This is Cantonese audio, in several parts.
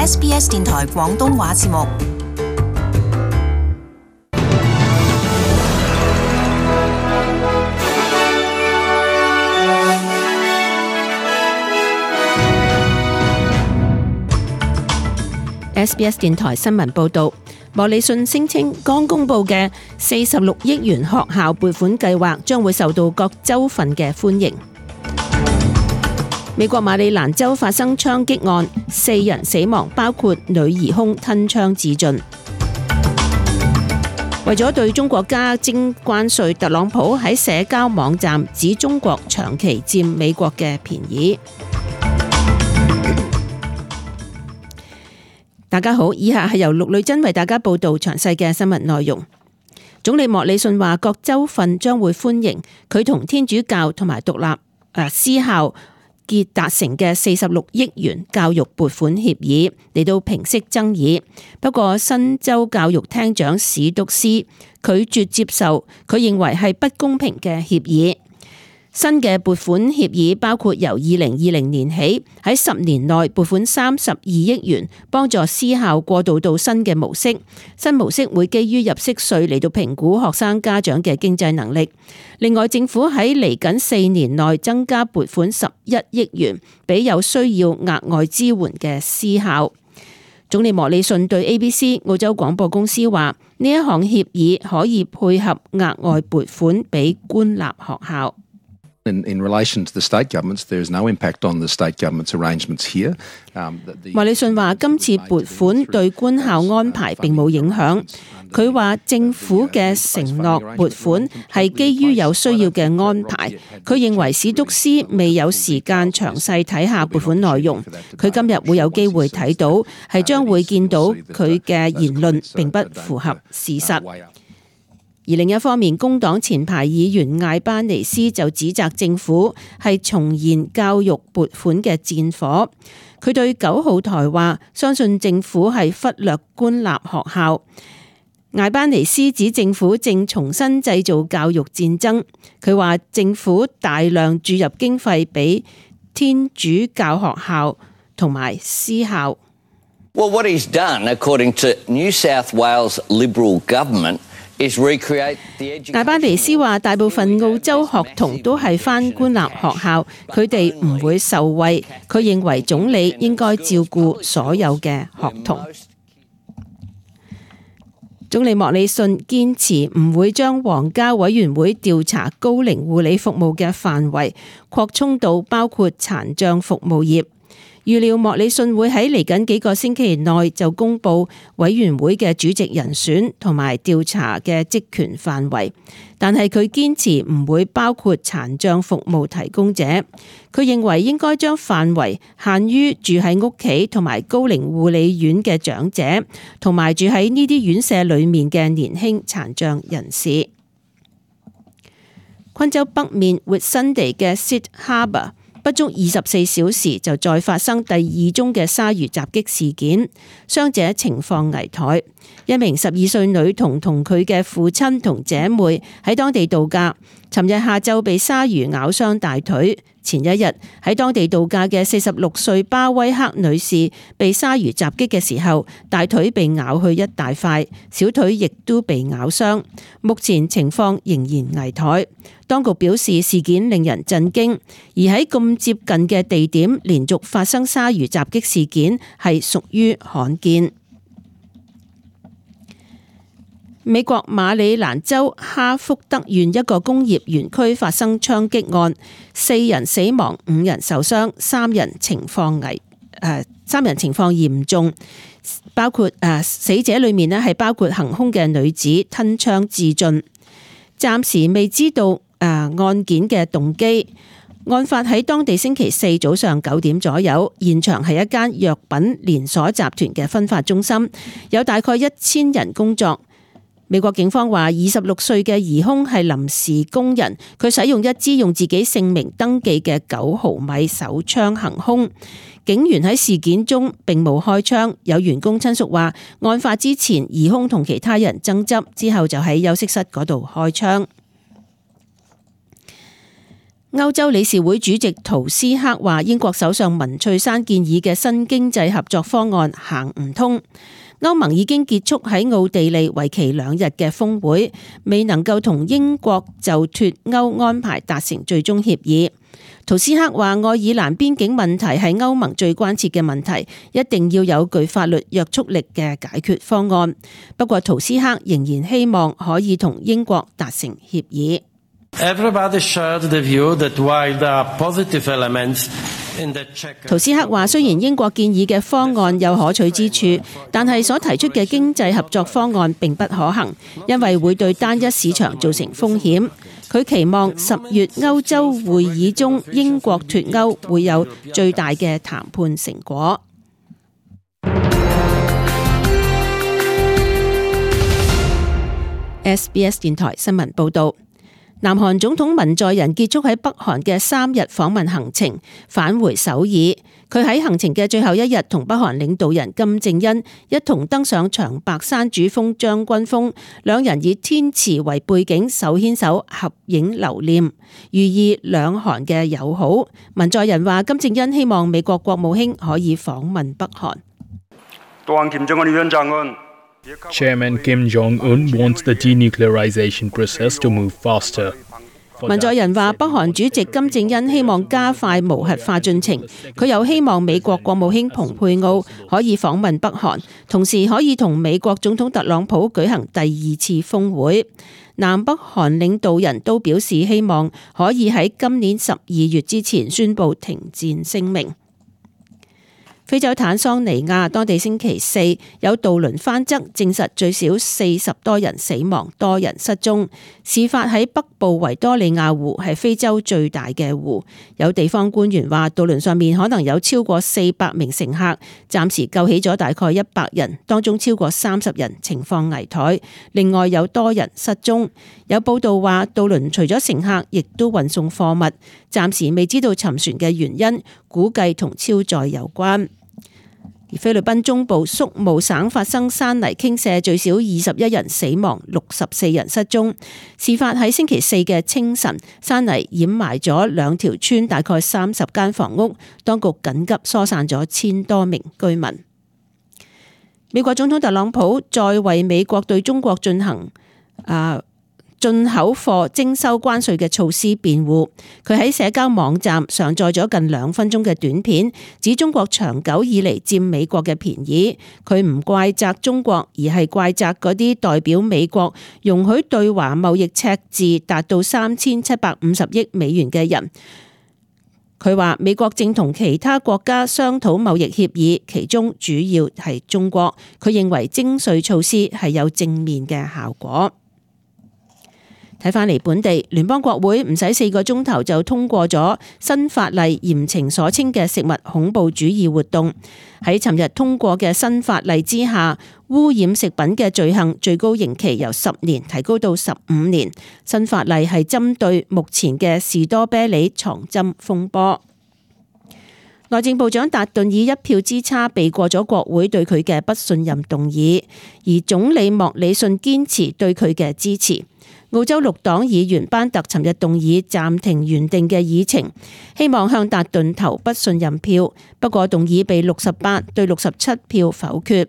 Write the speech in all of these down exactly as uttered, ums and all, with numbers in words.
S B S 電台廣東話節目。S B S 電台新聞報道，莫里遜聲稱剛公布嘅四十六億元學校撥款計劃將會受到各州份嘅歡迎。美國馬里蘭州發生槍擊案，四人死亡，包括女疑兇吞槍自盡。為咗對中國加徵關稅，特朗普喺社交網站指中國長期佔美國嘅便宜。大家好，以下係由陸女珍為大家報道詳細嘅新聞內容。總理莫里遜話，各州份將會歡迎佢同天主教同埋獨立誒私校結達成嘅四十六億元教育撥款協議，嚟到平息爭議。不過，新州教育廳長史篤斯拒絕接受，佢認為係不公平嘅協議。新嘅撥款協議包括由二零二零年起喺十年內撥款三十二億元，幫助私校過渡到新嘅模式。新模式會基於入息稅嚟到評估學生家長嘅經濟能力。另外，政府喺嚟緊四年內增加撥款十一億元，俾有需要額外支援嘅私校。總理莫里遜對 A B C 澳洲廣播公司話：呢一項協議可以配合額外撥款俾官立學校。In, in relation to the state governments, there is no impact on the state government's arrangements here. 莫里遜話：今次撥款對官校安排並冇影響。佢話政府嘅承諾撥款係基於有需要嘅安排。佢認為史篤斯未有時間詳細睇下撥款內容。佢今日會有機會睇到，係將會見到佢嘅言論並不符合事實。而另一方面，工黨前排議員艾巴尼斯就指責政府係重燃教育撥款嘅戰火。佢對九號台話，相信政府係忽略官立學校。艾巴尼斯指政府正重新製造教育戰爭。佢話政府大量注入經費俾天主教學校同埋私校。Well, what he's done, according to New South Wales Liberal government, 艾巴尼斯話：大部分澳洲學童都係返官立學校，佢哋唔會受惠。佢認為總理應該照顧所有嘅學童。總理莫里遜堅持唔會將皇家委員會調查高齡護理服務嘅範圍擴充到包括殘障服務業。預料莫里遜會喺嚟緊幾個星期內就公布委員會嘅主席人選同埋調查嘅職權範圍，但係佢堅持唔會包括殘障服務提供者。佢認為應該將範圍限於住喺屋企同埋高齡護理院嘅長者，同埋住喺呢啲院舍裏面嘅年輕殘障人士。昆州北面 Whitsunday 嘅 Syd Harbour不足二十四小時就再發生第二宗嘅鯊魚襲擊事件，傷者情況危殆。一名十二歲女童同佢嘅父親同姐妹喺當地度假，尋日下晝被鯊魚咬傷大腿。前一日喺當地度假嘅四十六歲巴威克女士被鯊魚襲擊嘅時候，大腿被咬去一大塊，小腿亦都被咬傷，目前情況仍然危殆。當局表示事件令人震驚，而喺咁接近嘅地點連續發生鯊魚襲擊事件係屬於罕見。美國馬里蘭州哈福德縣一個工業園區發生槍擊案，四人死亡，五人受傷，三人情況危誒、呃，三人情況嚴重，包括誒、呃、死者裏面咧係包括行兇嘅女子吞槍自盡。暫時未知道誒、呃、案件嘅動機。案發喺當地星期四早上九點左右，現場係一間藥品連鎖集團嘅分發中心，有大概一千人工作。美國警方話，二十六歲嘅疑兇係臨時工人，佢使用一支用自己姓名登記嘅九毫米手槍行兇。警員喺事件中並冇開槍。有員工親屬話，案發之前疑兇同其他人爭執，之後就喺休息室嗰度開槍。歐洲理事會主席圖斯克話，英國首相文翠珊建議嘅新經濟合作方案行唔通。歐盟已經結束喺奧地利為期兩日嘅峰會，未能夠同英國就脫歐安排達成最終協議。圖斯克話，愛爾蘭邊境問題係歐盟最關切嘅問題，一定要有具法律約束力嘅解決方案。不過圖斯克仍然希望可以同英國達成協議。圖斯克話，雖然英國建議嘅方案有可取之處，但係所提出嘅經濟合作方案並不可行，因為會對單一市場造成風險。佢期望十月歐洲會議中英國脫歐會有最大嘅談判成果。S B S 電台新聞報導。南韓總統文在寅結束喺北韓嘅三日訪問行程，返回首爾。佢喺行程嘅最後一日，同北韓領導人金正恩一同登上長白山主峰將軍峰，兩人以天池為背景，手牽手合影留念，寓意兩韓嘅友好。文在寅話，金正恩希望美國國務卿可以訪問北韓。 Chairman Kim Jong-un wants the denuclearization process to move faster. 文在寅話，北韓主席金正恩希望加快無核化進程，佢又希望美國國務卿蓬佩奧可以訪問北韓，同時可以同美國總統特朗普舉行第二次峰會。南北韓領導人都表示希望可以喺今年十二月之前宣布停戰聲明。非洲坦桑尼亞當地星期四有渡輪翻側，證實最少四十多人死亡，多人失蹤。事發喺北部維多利亞湖，係非洲最大嘅湖。有地方官員話，渡輪上面可能有超過四百名乘客，暫時救起咗大概一百人，當中超過三十人情況危殆，另外有多人失蹤。有報道話，渡輪除咗乘客，亦都運送貨物，暫時未知道沉船嘅原因，估計同超載有關。而菲律賓中部宿務省發生山泥傾瀉，最少二十一人死亡，六十四人失蹤。事發喺星期四嘅清晨，山泥掩埋咗兩條村，大概三十間房屋，當局緊急疏散咗千多名居民。美國總統特朗普再為美國對中國進行啊進口貨徵收關稅嘅措施辯護，佢喺社交網站上載咗近兩分鐘嘅短片，指中國長久以嚟佔美國嘅便宜。佢唔怪責中國，而係怪責嗰啲代表美國容許對華貿易赤字達到三千七百五十億美元嘅人。佢話美國正同其他國家商討貿易協議，其中主要係中國。佢認為徵稅措施係有正面嘅效果。睇返嚟本地，聯邦國會唔使四個鐘頭就通過咗新法例，嚴懲所稱嘅食物恐怖主義活動。喺尋日通過嘅新法例之下，污染食品嘅罪行最高刑期由十年提高到十五年。新法例係針對目前嘅士多啤梨藏針風波。內政部長達頓以一票之差避過咗國會對佢嘅不信任動議，而總理莫里遜堅持對佢嘅支持。澳洲綠黨議員班特尋日動議暫停原定嘅議程，希望向達頓投不信任票，不過動議被六十八對六十七票否決。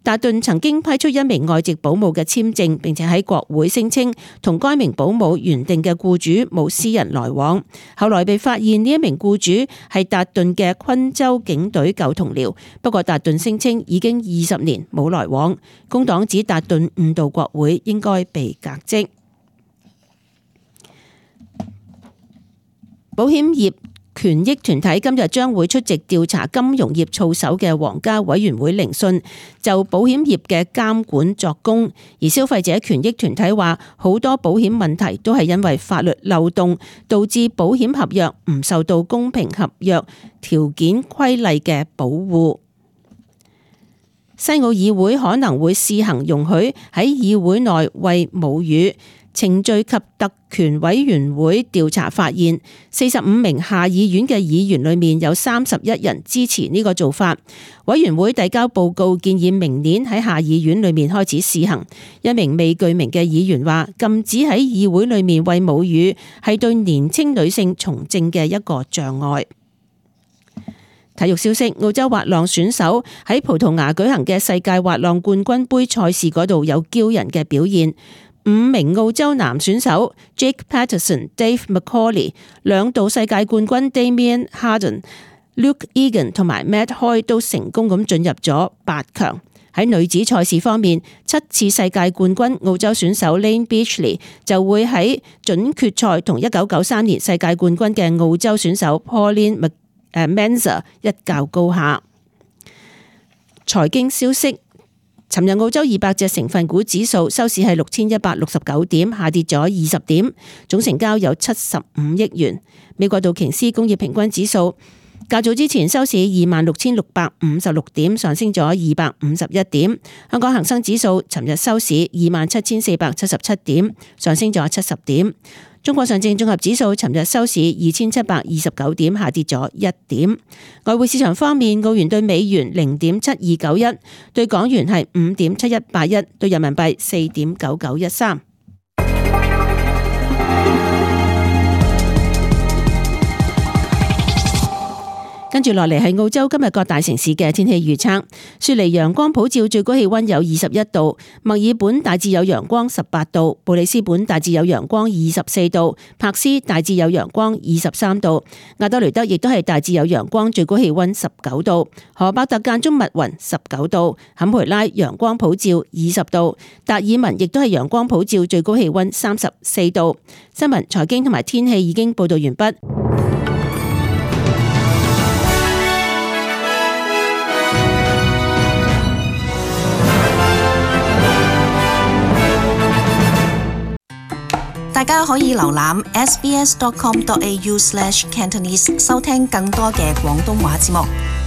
達頓曾經批出一名外籍保姆嘅簽證，並且喺國會聲稱同該名保姆原定嘅僱主冇私人來往，後來被發現呢一名僱主係達頓嘅昆州警隊舊同僚，不過達頓聲稱已經二十年冇來往。工黨指達頓誤導國會，應該被革職。保險業權益團體今日將會出席調查金融業操守嘅皇家委員會聆訊，就保險業嘅監管作供。而消費者權益團體話，好多保險問題都係因為法律漏洞，導致保險合約唔受到公平合約條件規例嘅保護。西澳議會可能會試行容許喺議會內餵母乳。程序及特權委員會調查發現，四十五名下議院嘅議員裏面有三十一人支持呢個做法。委員會遞交報告建議明年喺下議院裏面開始試行。一名未具名嘅議員話，禁止喺議會裏面餵母乳係對年輕女性從政嘅一個障礙。體育消息，澳洲滑浪選手喺葡萄牙舉行嘅世界滑浪冠軍杯賽事嗰度有驕人嘅表現。五名澳洲男選手 Jake Patterson、Dave McCauley、兩度世界冠軍 Damien Hardin、Luke Egan 同埋 Matt Hoy 都成功咁進入咗八強。喺女子賽事方面，七次世界冠軍澳洲選手 Layne Beachley 就會喺準決賽同一九九三年世界冠軍嘅澳洲選手 Pauline Mensah 一較高下。財經消息，尋日澳洲二百隻成分股指數收市係六千一百六十九點，下跌咗二十點，總成交有七十五億元。美國道瓊斯工業平均指數較早之前收市二萬六千六百五十六點，上升咗二百五十一點。香港恒生指數尋日收市二萬七千四百七十七點，上升咗七十點。中國上證綜合指數尋日收市二千七百二十九點，下跌咗一點。外匯市場方面，澳元對美元零點七二九一，對港元係五點七一八一，對人民幣四點九九一三。跟住落嚟係澳洲今日各大城市嘅天氣預測。雪梨陽光普照，最高氣溫有二十一度；墨爾本大致有陽光十八度；布里斯本大致有陽光二十四度；柏斯大致有陽光二十三度；亞德雷德亦都係大致有陽光，最高氣溫十九度；荷伯特間中密雲十九度；坎培拉陽光普照二十度；達爾文亦都係陽光普照，最高氣溫三十四度。新聞、財經同埋天氣已經報道完畢。大家可以瀏覽 s b s dot com dot a u slash cantonese 收聽更多嘅廣東話節目。